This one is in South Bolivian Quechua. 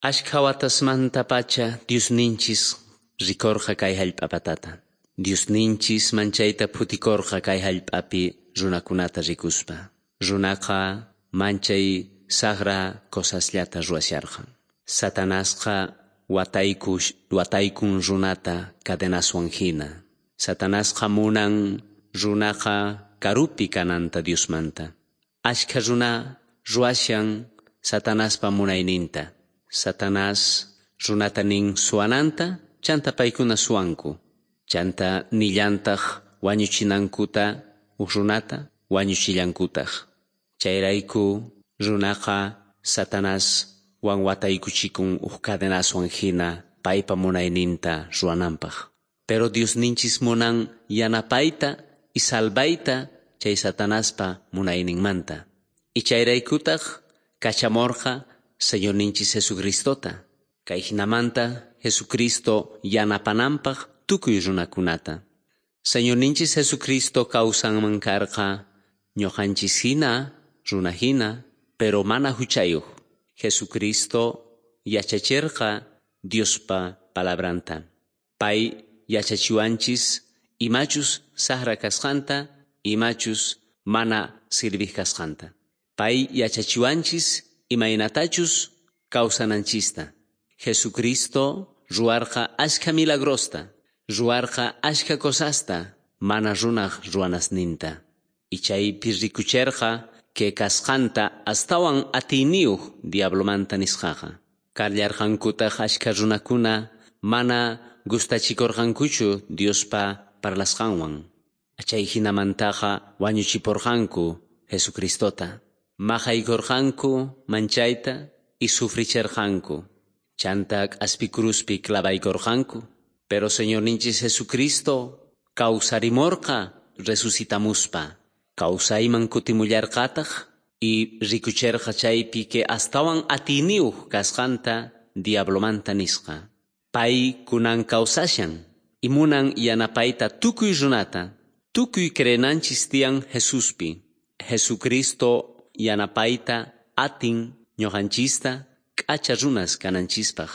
Ashkha watasmantapacha Diosninchis rikorqa kay hallp'apatata. Diosninchis manchayta phutikorqa kay hallp'api runakunata rikuspa. Runaqa manchay saqra cosasllata ruwasharqa. Satanasqa wataykun runata cadenaswan hina. Satanasqa munan runaqa karupi kananta Diosmanta. Ashkha runa ruwashan Satanaspa munayninta. Satanás runata nin suwananta, chanta paykuna suwanku. Chanta nillantaj wañuchinankuta uj runata wañuchillankutaj. Chayrayku runaqa Satanás wan wataykuchikun uj cadenaswan hina paypa munayninta ruwananpaj. Pero Diosninchis munan yanapayta y salvayta chay Satanaspa munayninmanta. Y chayraykutaj kachamorqa Señorninchis Jesucristota. Kay hinamanta Jesucristo yanapananpaj tukuy runakunata. Señorninchis Jesucristo kawsanman karqa ñuqanchis hina, runa hina, pero mana huchayuq. Jesucristo yachacherqa Diospa palabranta. Pay yachachiwanchis imachus saqra kasqanta, imachus mana sirvij kasqanta. Pay yachachiwanchis imaynatachus kawsananchista. Jesucristo ruwarqa ashkha milagrosta, ruwarqa ashkha cosasta, mana runaj ruwanasninta. Y chaypi rikucherqa que kasqanta astawan atiyniyuq diablomanta nisqaqa. Kallarqankutaj ashkha runakuna mana gustachikorqankuchu Diospa parlasqanwan. Chay hinamantaqa wañuchiporqanku Jesucristota. Maqaykorqanku manchayta y sufricherqanku. Chanta k'aspi cruzpi clavaykorqanku. Pero Señorninchis Jesucristo kawsarimorqa resucitamuspa. Kawsayman kutimullarqataj y rikucherqa chaypi que astawan atiyniyuq kasqanta diablomanta nisqa. Pay kunan kawsashan y munan yanapayta tukuy runata, tukuy creenanchis tiyan Jesuspi. Jesucristo yanapayta atin ñuqanchista k'acha runas kananchispaj.